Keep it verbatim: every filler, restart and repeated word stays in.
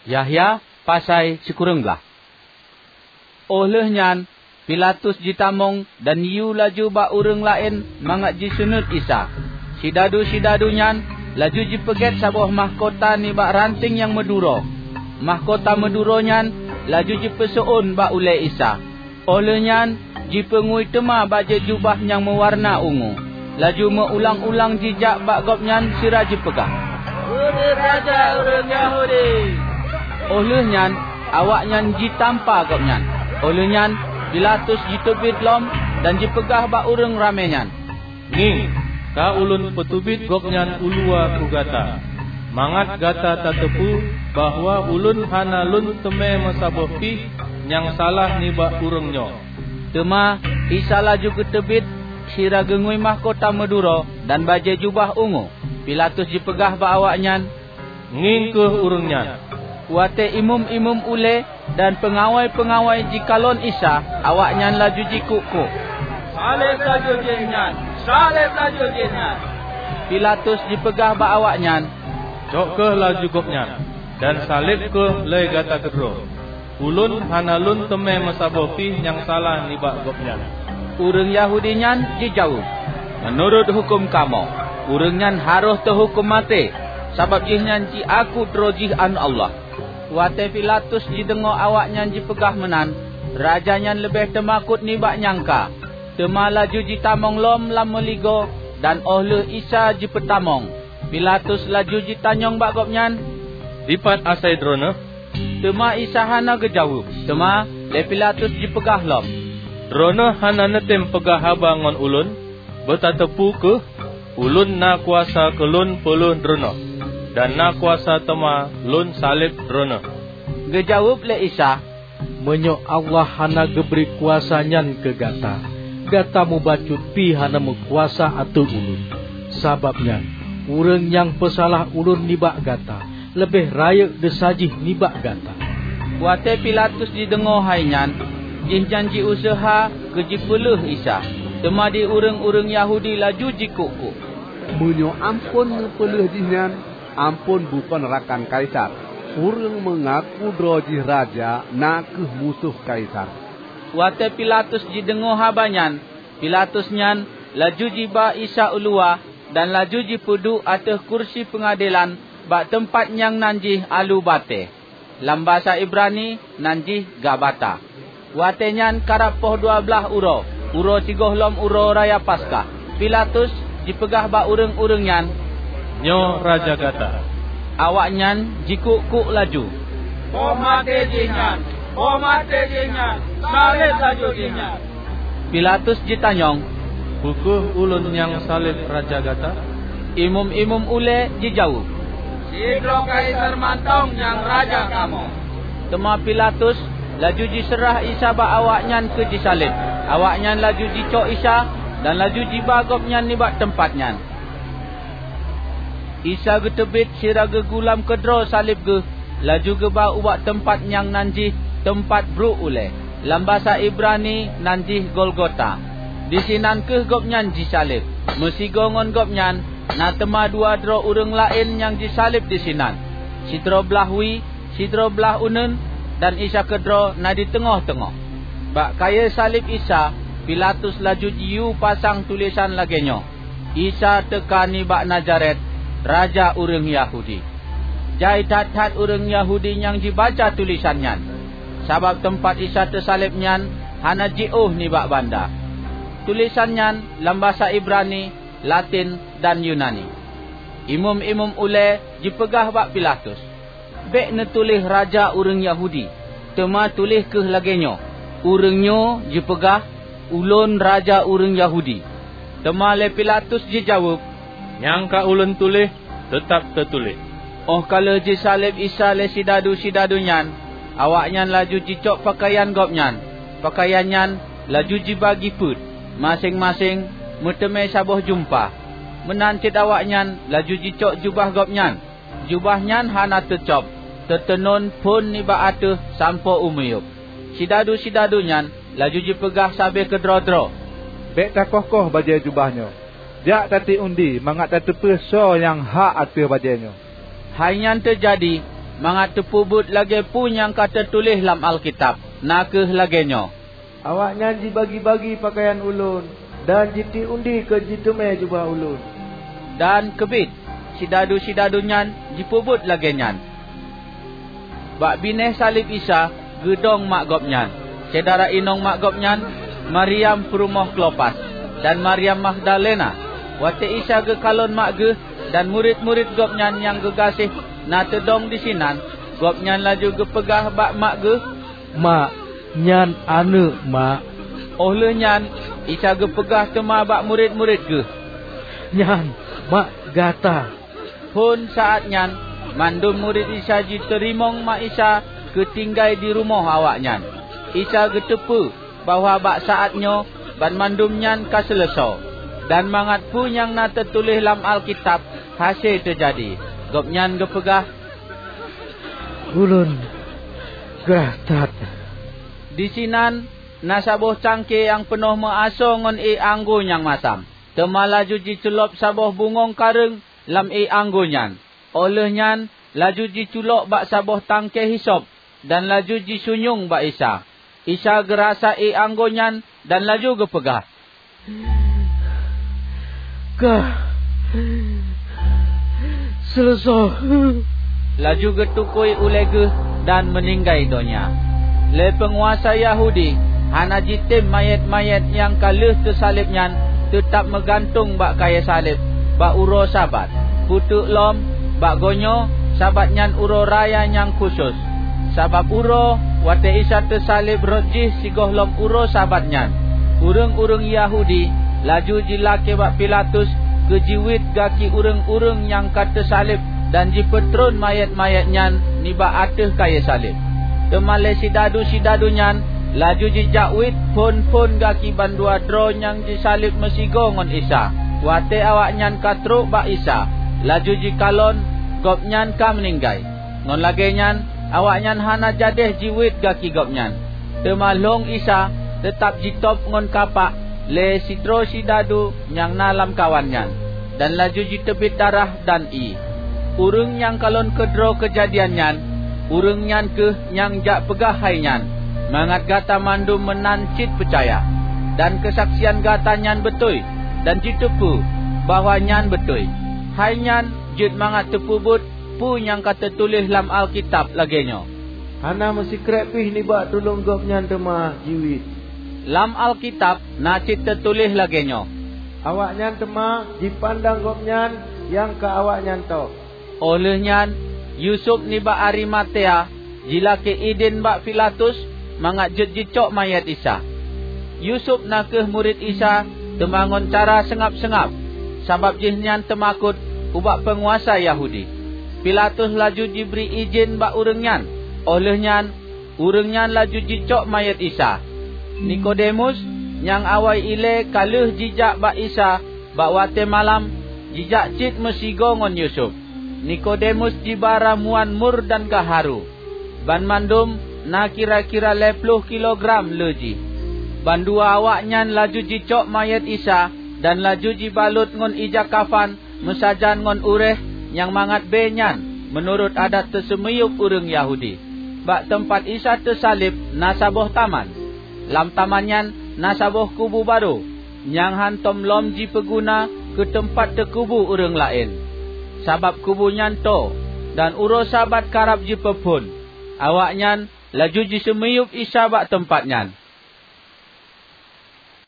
Yahya pasai sikureueng blaih. Óh lheueh nyan Pilatus jitamong dan yue laju bak ureuëng laén mangat jiseunuét Isa. Sidadu-sidadu nyan laju jipeugét saboh mahkota nibak ranténg nyang meuduro. Mahkota meuduro nyan laju jipeuseuôn bak ulée Isa. Óh lheueh nyan jipeungui teuma bajée jubah nyang meuwarna ungu, laju meu-ulang-ulang jijak bak Gobnyan sira jipeugah, "Udeb Raja ureuëng Yahudi!" Óh lheueh nyan awaknyan jitampa Gobnyan. Óh lheueh nyan Pilatus jiteubiet lom dan jipeugah bak ureuëng ramé nyan, "Ngieng, ka ulôn peuteubiet Gobnyan uluwa keu gata, mangat gata tateupeue bahwa ulôn hana lôn teumé meusaboh pih nyang salah nibak ureuëng nyoe." Teuma Isa laju geuteubiet sira geungui mahkota meuduro dan bajée jubah ungu. Pilatus jipeugah bak awaknyan, "Ngieng kheueh ureuëng nyan!" Watée imeum-imeum ulée dan peungawai-peungawai jikalon Isa, awaknyan laju jikuk-kuk, "Saleb laju jihnyan! Saleb laju jihnyan!" Pilatus jipeugah bak awaknyan, "Cok kheueh laju Gobnyan dan saleb kheueh lé gata keudroe. Ulôn hana lôn teumé meusaboh pih nyang salah nibak Gobnyan." Ureuëng Yahudi nyan jijaweueb, "Meunurot huköm kamoe, ureuëng nyan harôh teuhuköm maté, sabab jihnyan jiaku droe jih Aneuëk Allah." Watée Pilatus jideungoe awaknyan jipeugah meunan, raja nyan leubeh teumakot nibak nyang ka, teuma laju jitamong lom lam meuligoe dan óh lheueh Isa jipeutamong. Pilatus laju jitanyong bak Gobnyan, "Dipat asai Droeneueh?" Teuma Isa hana geujaweueb. Teuma lé Pilatus jipeugah lom, "Droeneueh hana neutem peugah haba ngon ulôn? Beutateupeue kheueh, ulôn na kuasa keu lôn peulheueh Droeneueh, dan na kuasa teuma lôn saleb Droeneueh." Geujaweueb lé Isa, "Meunyoe Allah hana geubri kuasa nyan keu gata, gata mubacut pih hana meukuasa ateueh ulôn. Sabab nyan, ureuëng nyang peusalah ulôn nibak gata leubeh rayeuk desya jih nibak gata." Watée Pilatus jideungoe hai nyan, jihnyan jiuseuha keu jipeulheueh Isa, teuma di ureuëng-ureuëng Yahudi laju jikuk-kuk, "Meunyoe amphon neupeulheueh jihnyan, amphon bukon rakan Kaisar. Ureuëng meungaku droe jih raja na kheueh musoh Kaisar." Watée Pilatus jideungoe haba nyan, Pilatus nyan laju jiba Isa uluwa dan laju jipeuduek ateueh kursi peungadelan bak teumpat nyang nan jih Aleuk Batée. Lam basa Ibrani nan jih Gabata. Watée nyan karab poh dua blaih uroe, uroe sigohlom Uroe Raya Paskah. Pilatus jipeugah bak ureuëng-ureuëng nyan, "Nyoe raja gata!" Awaknyan jikuk-kuk laju, "Boh maté jihnyan! Boh maté jihnyan! Saleb laju jihnyan!" Pilatus jitanyong, "Peu kheueh ulôn nyang saleb raja gata?" Imeum-imeum ulée jijaweueb, "Sidroe Kaisar mantong nyang raja kamoe!" Teuma Pilatus laju jiseurah Isa bak awaknyan keu jisaleb. Awaknyan laju jicok Isa dan laju jiba Gobnyan nibak teumpat nyan. Isa geuteubiet sira geugulam keudroe saleb geuh, laju geuba ubak teumpat nyang nan jih Teumpat Bruek Ulée, lam basa Ibrani nan jih Golgota. Disinan kheueh Gobnyan jisaleb. Meusigoe ngon Gobnyan na teuma dua droe ureuëng laén nyang jisaleb disinan, sidroe blaih wie, sidroe blaih uneuen, dan Isa keudroe na di teungoh-teungoh. Bak kayée saleb Isa, Pilatus laju jiyue pasang tulésan lagée nyoe, "Isa teuka nibak Nazaret, Raja ureuëng Yahudi." Jai that-that ureuëng Yahudi nyang jibaca tulésan nyan, sabab teumpat Isa teusaleb nyan hana jiôh nibak banda. Tulésan nyan lam basa Ibrani, Latin, dan Yunani. Imeum-imeum ulée jipeugah bak Pilatus, "Bék neutuléh 'Raja ureuëng Yahudi', teuma tuléh kheueh lagée nyoe, 'Ureuëng nyoe jipeugah, Ulôn Raja ureuëng Yahudi.'" Teuma lé Pilatus jijaweueb, "Nyang ka ulôn tuléh, teutab teutuléh." Óh ka lheueh jisaleb Isa lé sidadu-sidadu nyan, awaknyan laju jicok peukayan Gobnyan. Peukayan nyan laju jibagi peuet, maséng-maséng meuteumé saboh jumpa. Meunan cit awaknyan laju jicok jubah Gobnyan. Jubah nyan hana teucôb, teuteunon phon nibak ateueh sampoe u miyueb. Sidadu-sidadu nyan laju jipeugah sabe keudroe-droe, "Bék takoh-koh bajée jubah nyoe. Jak tatiek undi mangat tateupeue soe nyang hak ateueh bajée nyoe." Hai nyan teujadi, mangat teupeubuet lagée peue nyang ka teutuléh lam Alkitab, na kheueh lagée nyoe, "Awaknyan jibagi-bagi peukayan ulôn, dan jitiek undi keu jiteumé jubah ulôn." Dan keubiet, sidadu-sidadu nyan jipeubuet lagée nyan. Bak binéh saleb Isa geudong mak Gobnyan, syedara inong mak Gobnyan, Maryam peurumoh Klopas, dan Maryam Magdalena. Watée Isa geukalon mak geuh dan murit-murit Gobnyan nyang geugaséh na teudong disinan, Gobnyan laju geupeugah bak mak geuh, "Mak, nyan aneuëk mak." Óh lheueh nyan Isa geupeugah teuma bak murit-murit geuh, "Nyan mak gata." Phon saát nyan, mandum murit Isa jiteurimong mak Isa keu tinggai di rumoh awaknyan. Isa geuteupeue bahwa bak saát nyoe banmandum nyan ka seuleusoe, dan mangat peue nyang na teutuléh lam Alkitab hase teujadi, Gobnyan geupeugah, "Ulôn grah that." Disinan na saboh cangké nyang peunoh meuasoe ngon ié anggô nyang masam. Teuma laju jiculop saboh bungöng kareueng lam ié anggô nyan. Óh lheueh nyan laju jiculok bak saboh tangke hisop dan laju jisunyueng bak Isa. Isa geurasa ié anggô nyan dan laju geupeugah, "Ka seuleusoe." Laju geutukui ulée geuh dan meuninggai donya. Lé peunguasa Yahudi hana jitem manyét-manyét nyang ka lheueh teusaleb nyan teutab meugantung bak kayée saleb bak uroe Sabat. Peuteuk lom, bak geuh nyoe Sabat nyan uroe raya nyang khusos. Sabab uroe watée Isa teusaleb rot jih sigohlom uroe Sabat nyan, ureuëng-ureuëng Yahudi laju jilakée bak Pilatus keu jiwiet gaki ureuëng-ureuëng nyang ka teusaleb dan jipeutron manyét-manyét nyan nibak ateueh kayée saleb. Teuma lé sidadu-sidadu nyan laju jijak wiet phon-phon gaki bandua droe nyang jisaleb meusigoe ngon Isa. Watée awaknyan ka trok bak Isa, laju jikalon Gobnyan ka meuninggai. Ngon lagée nyan, awaknyan hana jadéh jiwiet gaki Gobnyan. Teuma lhong Isa teutab jitôb ngon kapak lé sidroe sidadu nyang na lamkawan nyan, dan laju jiteubiet darah dan ié. Ureuëng nyang kalon keudroe keujadian nyan, ureuëng nyan kheueh nyang jak peugah hai nyan, mangat gata mandum meunan cit peucaya. Dan keusaksian gata nyan beutôi, dan jiteupeue bahwa nyan beutôi. Hai nyan jeuet mangat teupeubuet peue nyang ka teutuléh lam Alkitab lagée nyoe, "Hana meusikrek pih nibak tuleueng Gobnyan teuma jiwiet." Lam Alkitab na cit teutuléh lagée nyoe, "Awaknyan teuma jipandang Gobnyan nyang ka awaknyan tôb." Óh lheueh nyan, Yusuf nibak Arimatea jilakée idin bak Pilatus mangat jeuet jicok manyét Isa. Yusuf na kheueh murit Isa, teuma ngon cara seungab-seungab, sabab jihnyan teumakot ubak peunguasa Yahudi. Pilatus laju jibri idin bak ureuëng nyan, óh lheueh nyan ureuëng nyan laju jicok manyét Isa. Nikodemus, nyang awai ilée ka lheueh jijak bak Isa bak watée malam, jijak cit meusigoe ngon Yusuf. Nikodemus jiba ramuan mur dan gaharu. Banmandum na kira-kira lhée ploh kilogram le jih. Bandua awaknyan laju jicok manyét Isa dan laju jibalot ngon ija kafan meusajan ngon uréh nyang mangat bée nyan, meunurot adat teuseumiyueb ureuëng Yahudi. Bak teumpat Isa teusaleb na saboh taman. Lam taman nyan na saboh kubu barô, nyang hántom lom jipeuguna keu teumpat teukubu ureuëng laén, sabab kubu nyan toe, dan uroe Sabat karab jipeuphon. Awaknyan laju jiseumiyueb Isa bak teumpat nyan.